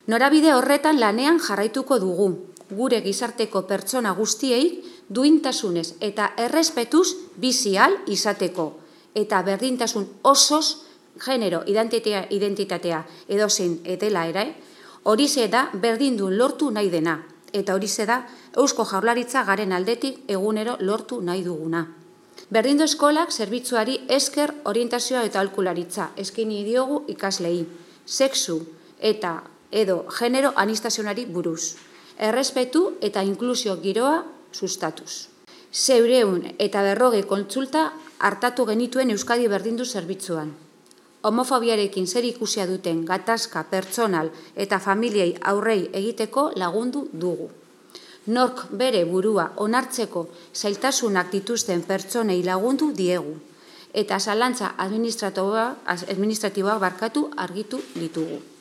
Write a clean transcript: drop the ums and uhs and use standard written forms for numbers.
Norabide horretan lanean jarraituko dugu, gure gizarteko pertsona guztiei duintasunez eta errespetuz bizi ahal izateko, eta berdintasun osoz genero identitatea edozein dela ere, horixe da berdindun lortu nahi dena, eta horixe da Eusko Jaurlaritza garen aldetik egunero lortu nahi duguna. Berdindu eskolak zerbitzuari esker orientazioa eta aholkularitza eskaini diogu ikaslei, sexu eta edo genero aniztasunari buruz, errespetu eta inklusio giroa sustatuz. 450 kontsulta hartatu genituen Euskadi Berdindu zerbitzuan. Homofobiarekin zer ikusia duten gatazka pertsonal eta familiei aurrei egiteko lagundu dugu. Nork bere burua onartzeko zailtasunak dituzten pertsonei lagundu diegu, eta zalantza administratiboak argitu ditugu.